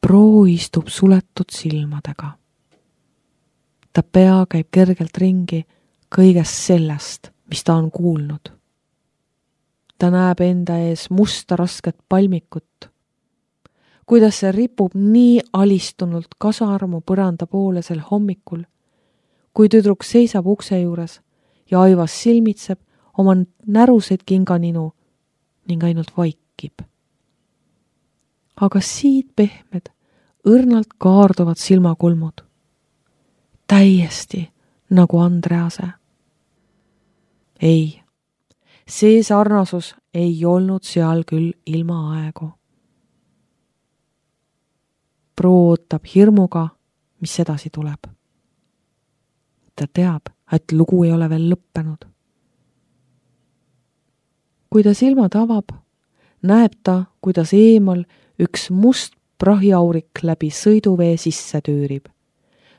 Proo istub suletud silmadega. Ta pea käib kergelt ringi kõigest sellest, mis ta on kuulnud. Ta näeb enda ees musta rasket palmikut, kuidas see ripub nii alistunult kasarmu põranda poole sel hommikul, kui tüdruk seisab ukse juures ja Aivas silmitseb oma näruseid kinganinu ning ainult vaikib. Aga siit pehmed, õrnalt kaarduvad silmakulmud. Täiesti nagu Andrease. Ei, see sarnasus ei olnud seal küll ilma aegu. Proo ootab hirmuga, mis edasi tuleb. Ta teab, et lugu ei ole veel lõppenud. Kui ta silmad avab, näeb ta, kuidas eemal üks must prahiaurik läbi sõiduvee sisse tüürib.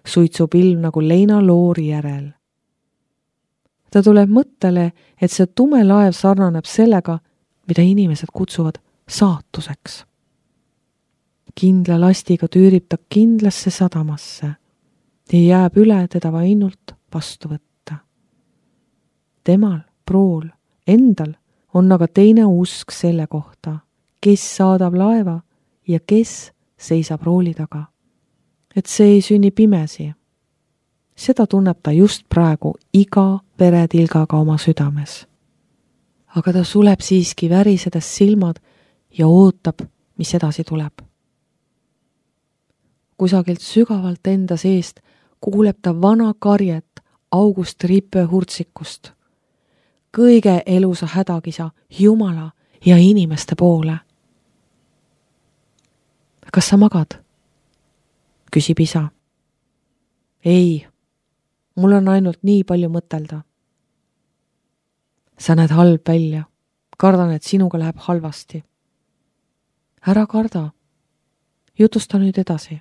Suitsupilv nagu leinaloori järel. Ta tuleb mõttele, et see tume laev sarnaneb sellega, mida inimesed kutsuvad saatuseks. Kindla lastiga tüürib ta kindlasse sadamasse ja jääb üle teda ainult vastu võtta. Temal, Prool, endal on aga teine usk selle kohta, kes saadab laeva ja kes seisab rooli taga. Et see ei sünni pimesi. Seda tunneb ta just praegu iga veretilgaga oma südames. Aga ta suleb siiski värisedes silmad ja ootab, mis edasi tuleb. Kusagilt sügavalt enda seest kuuleb ta vana karjet August Rippe hurtsikust. Kõige elusa hädakisa Jumala ja inimeste poole. Kas sa magad? Küsib isa. Ei, mul on ainult nii palju mõtelda. Sa näed halb välja. Kardan, et sinuga läheb halvasti. Ära karda. Jutusta nüüd edasi.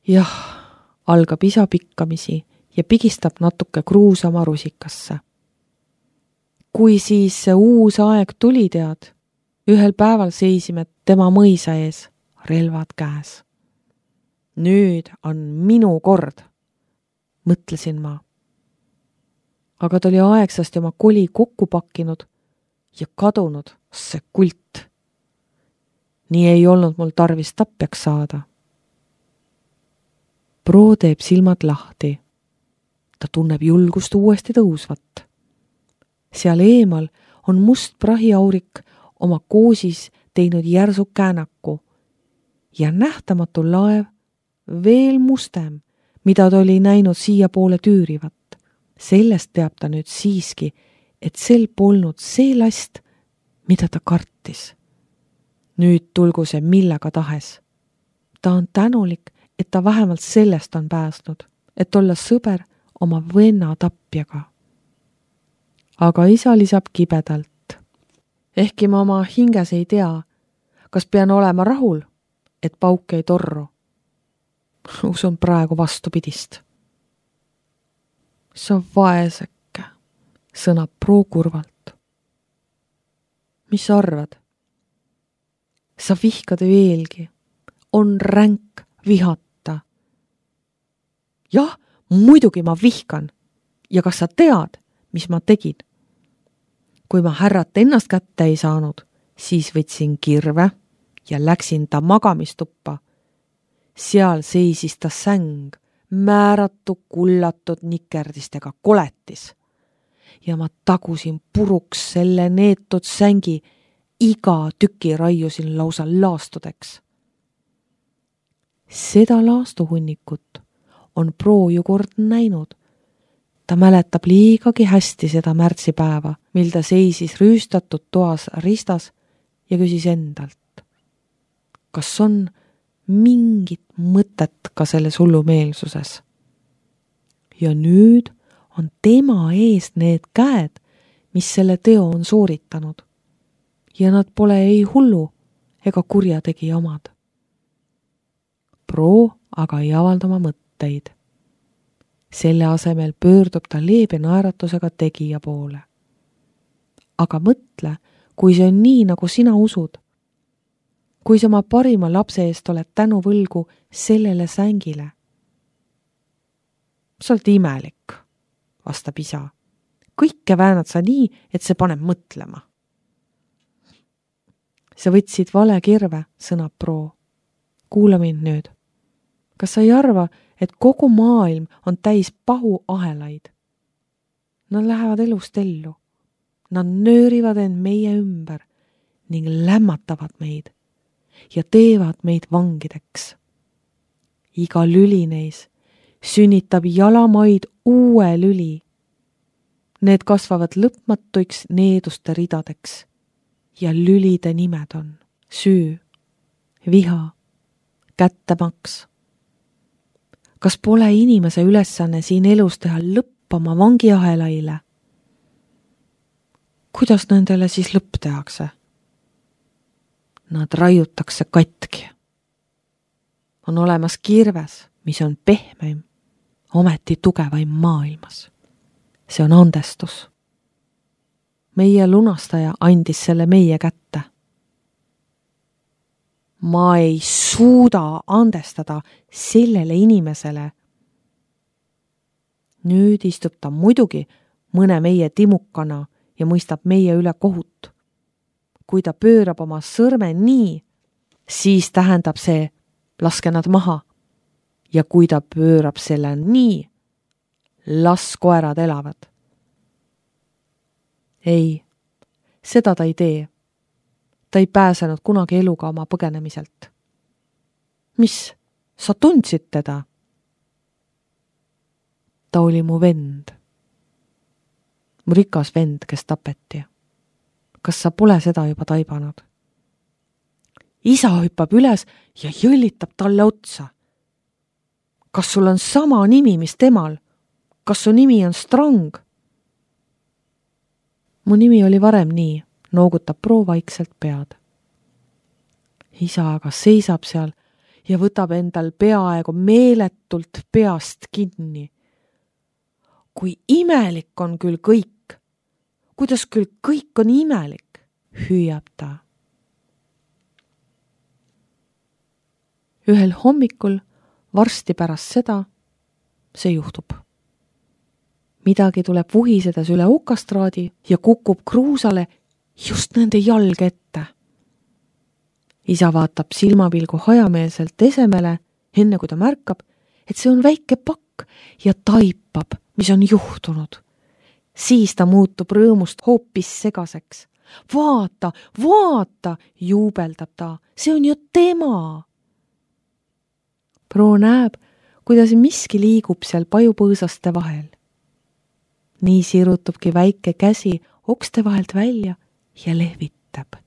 Jah, algab isa pikkamisi ja pigistab natuke kruusama rusikasse. Kui siis see uus aeg tuli, tead, ühel päeval seisime tema mõisa ees, relvad käes. Nüüd on minu kord, mõtlesin ma. Aga ta oli aegsasti oma koli kokku pakkinud ja kadunud see kult. Nii ei olnud mul tarvis tapjaks saada. Proo teeb silmad lahti. Ta tunneb julgust uuesti tõusvat. Seal eemal on must prahiaurik oma koosis teinud järsu käänaku ja nähtamatu laev veel mustem, mida ta oli näinud siia poole tüürivat. Sellest teab ta nüüd siiski, et sel polnud see last, mida ta kartis. Nüüd tulgu see millega tahes. Ta on tänulik, et ta vähemalt sellest on pääsnud, et olla sõber oma venna tapjaga. Aga isa lisab kibedalt. Ehkki ma oma hinges ei tea, kas pean olema rahul, et pauk ei torru. Usun praegu vastupidist. Sa vaesekke, sõnab Proo kurvalt. Mis sa arvad? Sa vihkad veelgi. On ränk vihata. Jah, muidugi ma vihkan. Ja kas sa tead, mis ma tegin? Kui ma härrat ennast kätte ei saanud, siis võtsin kirve ja läksin ta magamistuppa. Seal seisis ta säng, määratu kullatud nikerdistega koletis. Ja ma tagusin puruks selle neetud sängi, iga tüki raiusin lausa laastudeks. Seda laastuhunnikut on Proo ju kord näinud. Ta mäletab liigagi hästi seda märtsipäeva, mil ta seisis rüüstatud toas ristas ja küsis endalt. Kas on mingit mõtet ka selles hullumeelsuses? Ja nüüd on tema ees need käed, mis selle teo on sooritanud. Ja nad pole ei hullu ega kurjategija omad. Proo aga ei avalda oma mõtteid. Selle asemel pöördub ta leebe naeratusega tegija poole. Aga mõtle, kui see on nii, nagu sina usud. kui sa oma parima lapse eest oled tänu võlgu sellele sängile? Sa oled imelik, vastab isa. Kõike väänad sa nii, et see paneb mõtlema. Sa võtsid vale kirve, sõnab Pro. Kuula mind nüüd. Kas sa ei arva, et kogu maailm on täis pahuahelaid? Nad lähevad elust ellu. Nad nöörivad end meie ümber ning lämmatavad meid ja teevad meid vangideks. Iga lüli neis sünnitab jalamaid uue lüli. Need kasvavad lõpmatuiks needuste ridadeks ja lülide nimed on süü, viha, kättemaks. Kas pole inimese ülesanne siin elus teha lõppama vangiahelaile? Kuidas nendele siis lõpp tehakse? Nad raiutakse katki. On olemas kirves, mis on pehmeim, ometi tugevaim maailmas. See on andestus. Meie lunastaja andis selle meie kätte. Ma ei suuda andestada sellele inimesele. Nüüd istub ta muidugi mõne meie timukana ja mõistab meie üle kohut. Kui ta pöörab oma sõrme nii, siis tähendab see, laske nad maha. Ja kui ta pöörab selle nii, las koerad elavad. Ei, seda ta ei tee. Ta ei pääsenud kunagi eluga oma põgenemiselt. Mis, sa tundsid teda? Ta oli mu vend. Mu rikas vend, kes tapeti. Kas sa pole seda juba taibanud? Isa hüppab üles ja jõllitab talle otsa. Kas sul on sama nimi, mis temal? Kas su nimi on Strang? Mu nimi oli varem nii, noogutab Pro vaikselt pead. Isa aga seisab seal ja võtab endal peaaegu meeletult peast kinni. Kui imelik on küll kõik, kuidas küll kõik on imelik, hüüab ta. Ühel hommikul, varsti pärast seda, see juhtub. Midagi tuleb vuhisedes üle okastraadi ja kukub kruusale just nende jalg ette. Isa vaatab silmapilgu hajameelselt esemele, enne kui ta märkab, et see on väike pakk ja taipab, mis on juhtunud. Siis ta muutub rõõmust hoopis segaseks. Vaata, vaata, juubeldab ta, see on ju tema. Pro näeb, kuidas miski liigub seal pajupõõsaste vahel. Nii sirutubki väike käsi okste vahelt välja ja lehvitab.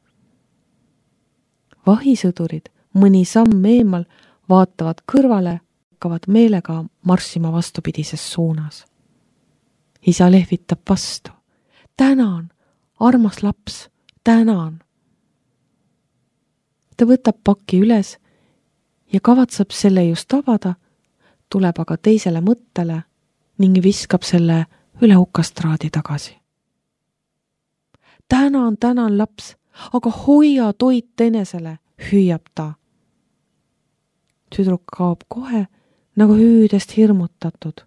Vahisõdurid mõni samm eemal vaatavad kõrvale, hakkavad meelega marssima vastupidises suunas. Isa lehvitab vastu. Tänan, armas laps, tänan. Ta võtab paki üles ja kavatseb selle just avada, tuleb aga teisele mõttele ning viskab selle üle okastraadi tagasi. Tänan, laps, aga hoia toit enesele, hüüab ta. Tüdruk kaob kohe nagu hüüdest hirmutatud.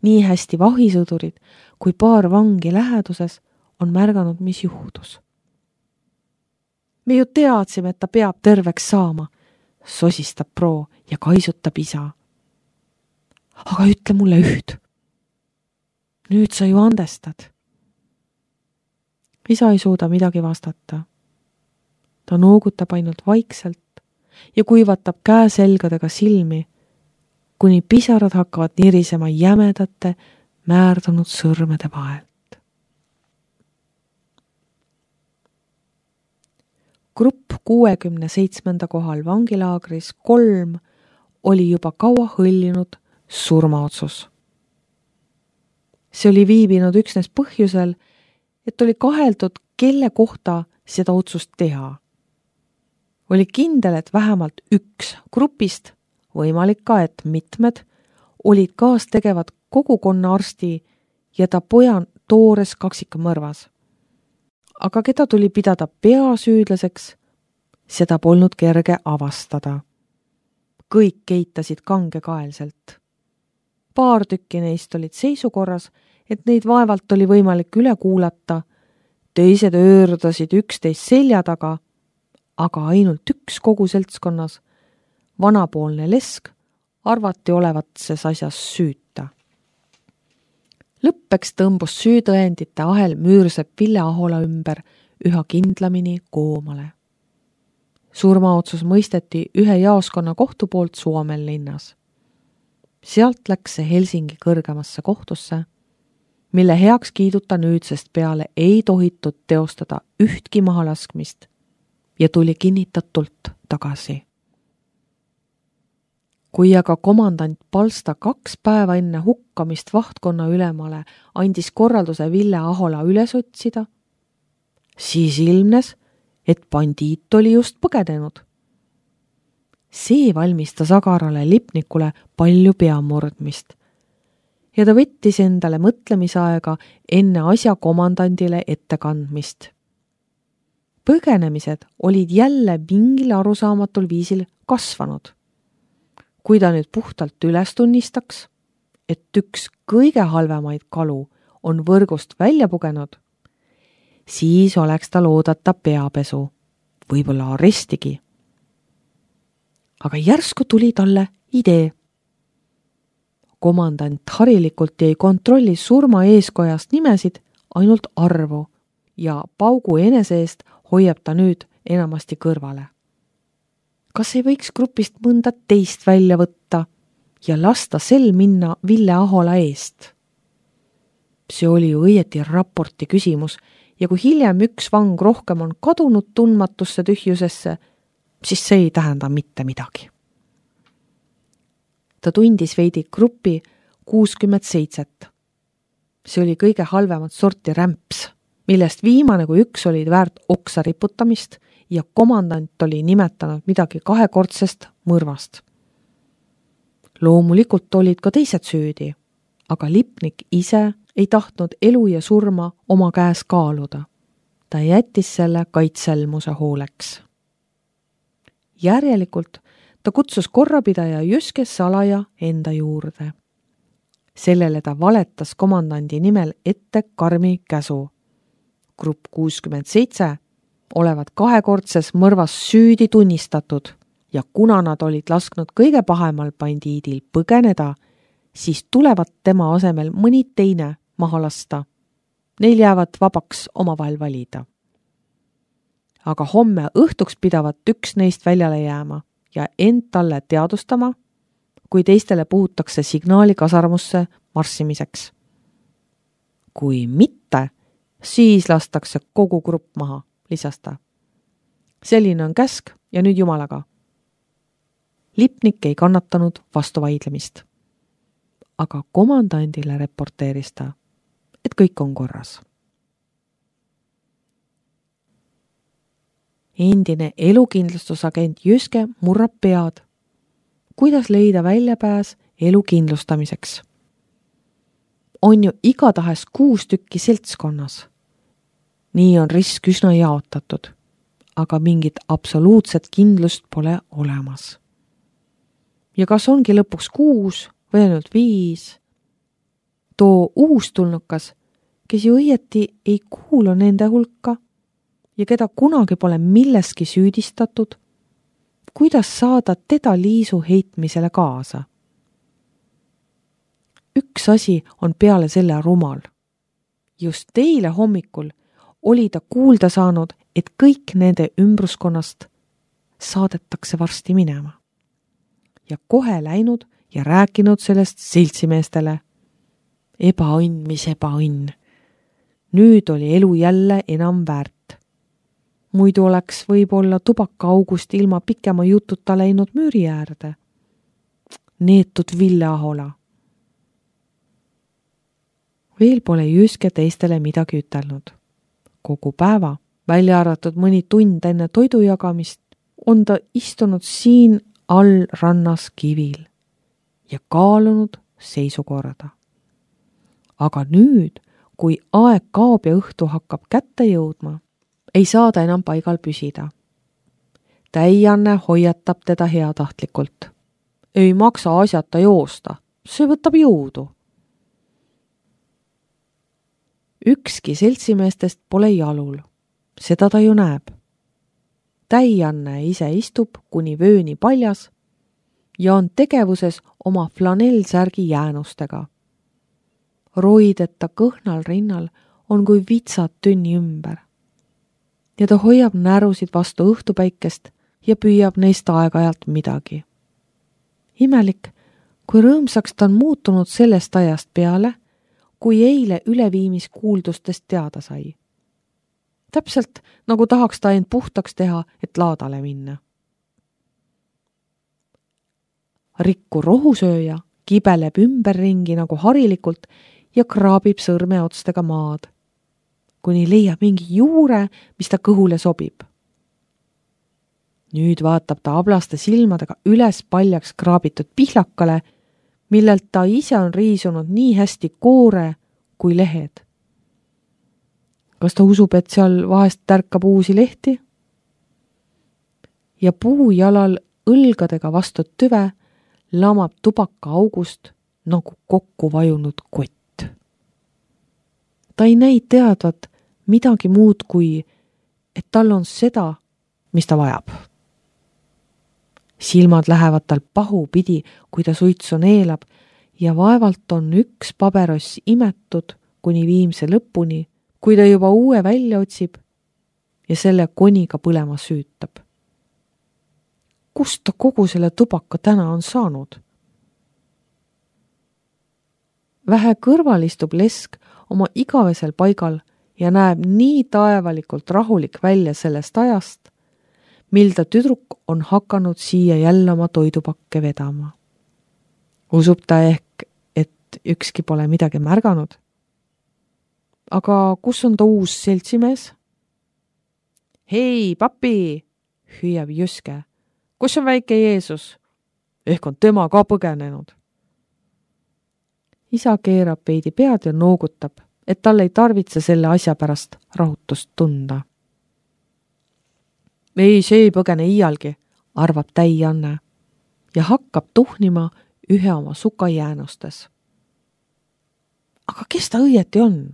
Nii hästi vahisõdurid kui paar vangi läheduses on märganud, mis juhtus. Me ju teadsime, et ta peab terveks saama, sosistab Pro ja kaisutab isa. Aga ütle mulle üht. Nüüd sa ju andestad. Isa ei suuda midagi vastata. Ta noogutab ainult vaikselt ja kuivatab käeselgadega silmi, kuni pisarad hakkavad nirisema jämedate, määrdunud sõrmede vahelt. Grupp 67. kohal vangilaagris 3 oli juba kaua hõljunud surmaotsus. See oli viibinud üksnes põhjusel, et oli kaheldud, kelle kohta seda otsust teha. Oli kindel, et vähemalt üks grupist, võimalik ka, et mitmed, olid kaastegevad kogukonna arsti ja ta poja toores kaksikamõrvas. Aga keda tuli pidada peasüüdlaseks, Seda polnud kerge avastada. Kõik keitasid kangekaelselt. Paar tükki neist olid seisukorras, et neid vaevalt oli võimalik üle kuulata. Teised öördasid üksteist selja taga, aga ainult üks kogu seltskonnas, vanapoolne lesk, arvati olevat ses asjas süüta. Lõppeks tõmbus süütõendite ahel Müürsepp Ville Ahola ümber üha kindlamini koomale. Surmaotsus mõisteti ühe jaoskonna kohtu poolt Suomen linnas. Sealt läks see Helsingi kõrgemasse kohtusse, mille heaks kiiduta nüüdsest peale ei tohitud teostada ühtki mahalaskmist ja tuli kinnitatult tagasi. Kui aga komandant Palsta 2 päeva enne hukkamist vahtkonna ülemale andis korralduse Ville Ahola üles otsida, siis ilmnes, et bandiit oli just põgenenud. See valmistas Agarale Lipnikule palju peamurdmist ja ta võttis endale mõtlemisaega enne asja komandandile ettekandmist. Põgenemised olid jälle mingil arusaamatul viisil kasvanud. Kui ta nüüd puhtalt üles tunnistaks, et üks kõige halvemaid kalu on võrgust välja pugenud, siis oleks tal oodata peapesu, võib-olla arestigi. Aga järsku tuli talle idee. Komandant harilikult ei kontrolli surma eeskojast nimesid, ainult arvu ja paugu enese eest hoiab ta nüüd enamasti kõrvale. Kas ei võiks grupist mõnda teist välja võtta ja lasta sel minna Ville Ahola eest? See oli ju õieti raporti küsimus ja kui hiljem üks vang rohkem on kadunud tundmatusse tühjusesse, siis see ei tähenda mitte midagi. Ta tundis veidi gruppi 67. See oli kõige halvemat sorti rämps, millest viimane kui üks olid väärt oksa riputamist ja komandant oli nimetanud midagi kahekordsest mõrvast. Loomulikult olid ka teised süüdi, aga Lipnik ise ei tahtnud elu ja surma oma käes kaaluda. Ta jättis selle kaitselmuse hooleks. Järjelikult ta kutsus korrapidaja Jyske salaja enda juurde. Sellele ta valetas komandandi nimel ette karmi käsu. Grupp 67 olevat kahekordses mõrvas süüdi tunnistatud ja kuna nad olid lasknud kõige pahemal bandiidil põgeneda, siis tulevad tema asemel mõni teine maha lasta. Neil jäävad vabaks omavahel valida. Aga homme õhtuks pidavat üks neist väljale jääma ja end talle teadustama, kui teistele puhutakse signaali kasarmusse marssimiseks. Kui mitte, siis lastakse kogu grupp maha, lisas ta. Selline on käsk ja nüüd jumalaga. Lipnik ei kannatanud vastuvaidlemist. Aga komandandile reporteeris ta, et kõik on korras. Endine elukindlustusagent Jyske murrab pead, kuidas leida väljapääs elu kindlustamiseks. On ju igatahes 6 tükki seltskonnas. Nii on risk üsna jaotatud, aga mingit absoluutset kindlust pole olemas. Ja kas ongi lõpuks 6 või ainult 5? Too uustulnukas, kes ju õieti ei kuulu nende hulka ja keda kunagi pole milleski süüdistatud, kuidas saada teda liisu heitmisele kaasa? Üks asi on peale selle rumal. Just eile hommikul oli ta kuulda saanud, et kõik nende ümbruskonnast saadetakse varsti minema. Ja kohe läinud ja rääkinud sellest seltsimeestele. Ebaõnn, mis ebaõnn. Nüüd oli elu jälle enam väärt. Muidu oleks võib-olla tubakaaugust ilma pikema jututa läinud müüri äärde. Neetud Ville Ahola. Veel pole Jyske teistele midagi ütelnud. Kogu päeva, välja arvatud mõni tund enne toidu jagamist, on ta istunud siin all rannas kivil ja kaalunud seisukorda. Aga nüüd, kui aeg kaob ja õhtu hakkab kätte jõudma, ei saa ta enam paigal püsida. Täianne hoiatab teda heatahtlikult. Ei maksa asjata joosta, see võtab jõudu. Ükski seltsimeestest pole jalul, seda ta ju näeb. Täianne ise istub kuni vööni paljas ja on tegevuses oma flanellsärgi jäänustega. Roideta kõhnal rinnal on kui vitsad tünni ümber. Ja ta hoiab närusid vastu õhtupäikest ja püüab neist aeg-ajalt midagi. Imelik, kui rõõmsaks ta on muutunud sellest ajast peale, kui eile üleviimiskuuldustest teada sai. Täpselt nagu tahaks ta end puhtaks teha, et laadale minna. Rikku rohusööja kibeleb ümberringi nagu harilikult ja kraabib sõrmeotstega maad, kuni leiab mingi juure, mis ta kõhule sobib. Nüüd vaatab ta ablaste silmadega üles paljaks kraabitud pihlakale, millelt ta ise on riisunud nii hästi koore kui lehed. Kas ta usub, et seal vahest tärkab uusi lehti? Ja puujalal õlgadega vastu tüve lamab tubaka august nagu kokku vajunud kott. Ta ei näi teadvat midagi muud kui, et tal on seda, mis ta vajab. Silmad lähevad tal pahupidi, kui ta suitsu neelab ja vaevalt on üks pabeross imetud kuni viimse lõpuni, kui ta juba uue välja otsib ja selle koniga põlema süütab. Kust ta kogu selle tubaka täna on saanud? Vähe kõrval istub lesk oma igavesel paigal ja näeb nii taevalikult rahulik välja sellest ajast, mil ta tüdruk on hakanud siia jälle oma toidupakke vedama. Usub ta ehk, et ükski pole midagi märganud? Aga kus on ta uus seltsimees? Hei, papi, hüüab Jüske. Kus on väike Jeesus? Ehk on tema ka põgenenud. Isa keerab veidi pead ja noogutab, et tal ei tarvitse selle asja pärast rahutust tunda. Ei, see ei põgene iialgi, arvab Täianne ja hakkab tuhnima ühe oma suka jäänustes. Aga kes ta õieti on?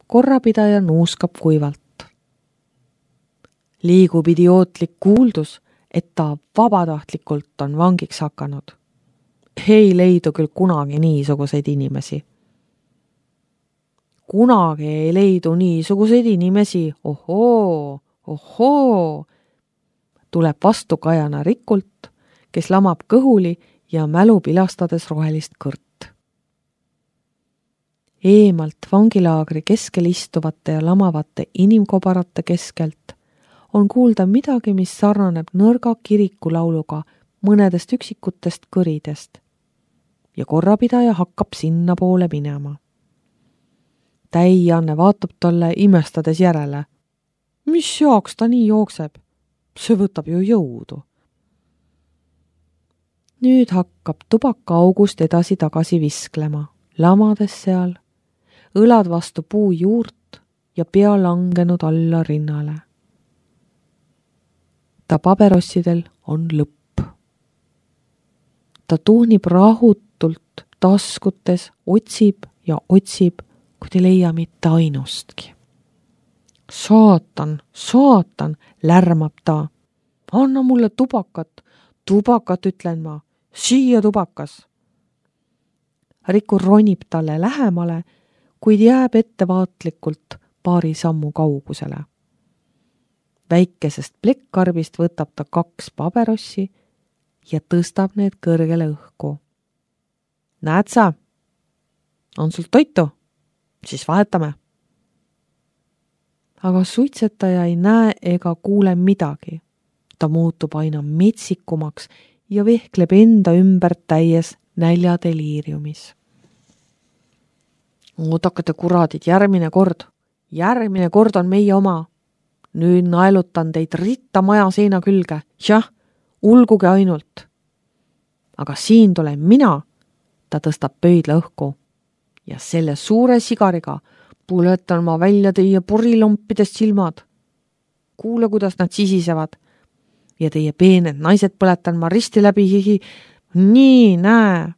Korrapidaja nuuskab kuivalt. Liigub idiootlik kuuldus, et ta vabatahtlikult on vangiks hakanud. Ei leidu küll kunagi niisuguseid inimesi. Kunagi ei leidu niisuguseid inimesi, ohoo, tuleb vastu Kajana Rikult, kes lamab kõhuli ja mälu pilastades rohelist kõrt. Eemalt vangilaagri keskel istuvate ja lamavate inimkobarate keskelt on kuulda midagi, mis sarnaneb nõrga kirikulauluga mõnedest üksikutest kõridest ja korrapidaja hakkab sinna poole minema. Täianne vaatab talle imestades järele. Mis jaoks ta nii jookseb? See võtab ju jõudu. Nüüd hakkab tubaka august edasi-tagasi visklema, lamades seal, õlad vastu puu juurt ja pea langenud alla rinnale. Ta paberossidel on lõpp. Ta tuhnib rahutult taskutes, otsib ja otsib, kui ei leia mitte ainustki. Saatan, lärmab ta. Anna mulle tubakat ütlen ma, siia tubakas. Riku ronib talle lähemale, kuid jääb ettevaatlikult paari sammu kaugusele. Väikesest plekkarbist võtab ta 2 paberossi ja tõstab need kõrgele õhku. Näed sa? On sul toitu? Siis vahetame. Aga suitsetaja ei näe ega kuule midagi. Ta muutub aina metsikumaks ja vehkleb enda ümber täies näljadeliiriumis. Oodakate kuradid, järgmine kord on meie oma. Nüüd naelutan teid ritta maja seina külge. Jah, ulguge ainult. Aga siin tulen mina, ta tõstab pöidla õhku. Ja selle suure sigariga puletan ma välja teie purilompidest silmad. kuule, kuidas nad sisisevad. Ja teie peened naised põletan ma risti läbi hihi. Nii, näe.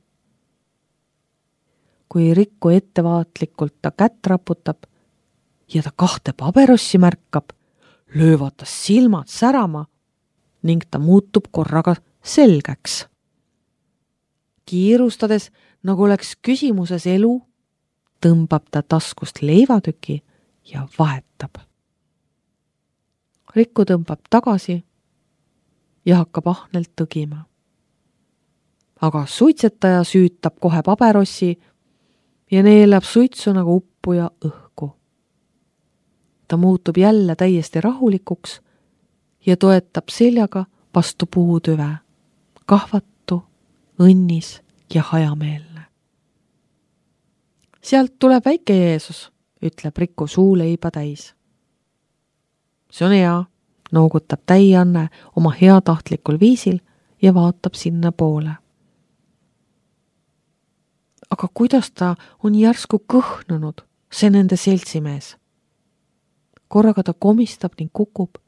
Kui Rikku ettevaatlikult ta kätt raputab ja ta 2 paberossi märkab, löövad ta silmad särama ning ta muutub korraga selgeks. Kiirustades, nagu oleks küsimuses elu, tõmbab ta taskust leivatüki ja vahetab. Rikku tõmbab tagasi ja hakkab ahnelt tõgima. Aga suitsetaja süütab kohe paberossi ja neelab suitsu nagu uppuja õhku. Ta muutub jälle täiesti rahulikuks ja toetab seljaga vastu puutüve, kahvatu, õnnis ja hajameelne. Sealt tuleb väike Jeesus, ütleb Rikku suuleiba täis. See on hea, noogutab Täianne oma heatahtlikul viisil ja vaatab sinna poole. Aga kuidas ta on järsku kõhnunud, see nende seltsimees? Korraga ta komistab ning kukub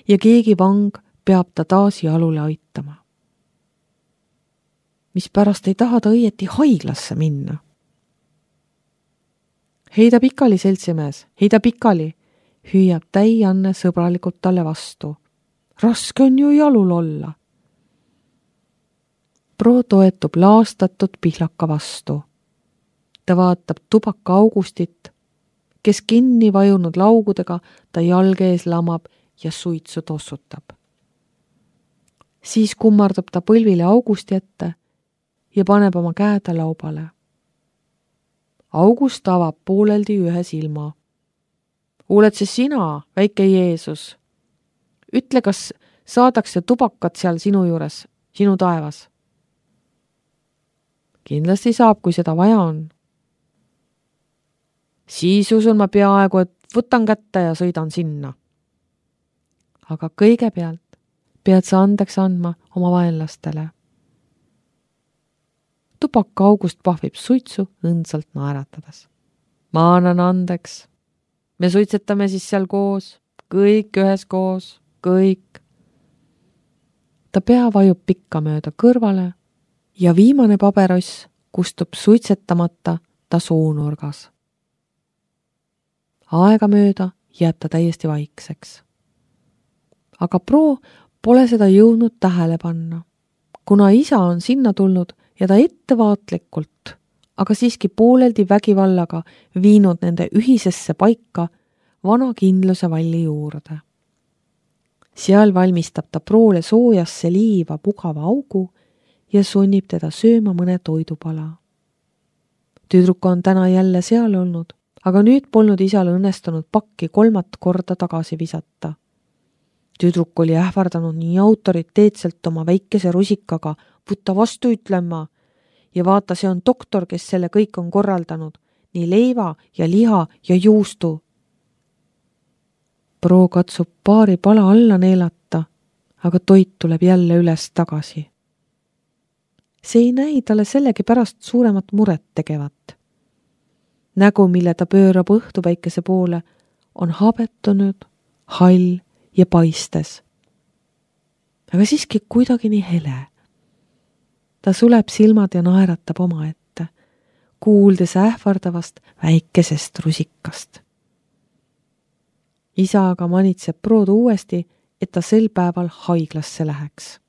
ja keegi vang peab ta taas jalule aitama. Mispärast ei taha ta õieti haiglasse minna? Heida pikali, seltsimees, heida pikali, hüüab Täianne sõbralikult talle vastu. Raske on ju jalul olla. Pro toetub laastatud pihlaka vastu. Ta vaatab tubaka Augustit, kes kinni vajunud laugudega ta jalge ees lamab ja suitsu tossutab. Siis kummardab ta põlvile Augusti ette ja paneb oma käed laubale. August avab pooleldi ühe silma. Oled see sina, väike Jeesus? Ütle, kas saadakse tubakat seal sinu juures, sinu taevas? Kindlasti saab, kui seda vaja on. Siis usun ma peaaegu, et võtan kätte ja sõidan sinna. Aga kõigepealt pead sa andeks andma oma vaenlastele. Tubaka August pahvib suitsu õndsalt naeratades. Ma annan andeks. Me suitsetame siis seal koos, kõik üheskoos, kõik. Ta pea vajub pikka mööda kõrvale ja viimane pabeross kustub suitsetamata ta suunurgas. Aegamööda jääb ta täiesti vaikseks. Aga Pro pole seda jõudnud tähele panna, kuna isa on sinna tulnud ja ta ettevaatlikult, aga siiski pooleldi vägivallaga viinud nende ühisesse paika vana kindluse valli juurde. Seal valmistab ta Proole soojasse liiva mugava augu ja sunnib teda sööma mõne toidupala. Tüdruk on täna jälle seal olnud, aga nüüd polnud isal õnnestunud pakki 3 korda tagasi visata. Tüdruk oli ähvardanud nii autoriteetselt oma väikese rusikaga, võtta vastu ütlema ja vaata, see on doktor, kes selle kõik on korraldanud, nii leiva ja liha ja juustu. Pro katsub paari pala alla neelata, aga toit tuleb jälle üles tagasi. See ei näi talle sellegi pärast suuremat muret tegevat. Nägu, mille ta pöörab õhtupäikese poole, on habetunud, hall ja paistes. Aga siiski kuidagi nii hele. Ta suleb silmad ja naeratab oma ette, kuuldes ähvardavast väikesest rusikast. Isa aga manitseb Prood uuesti, et ta sel päeval haiglasse läheks.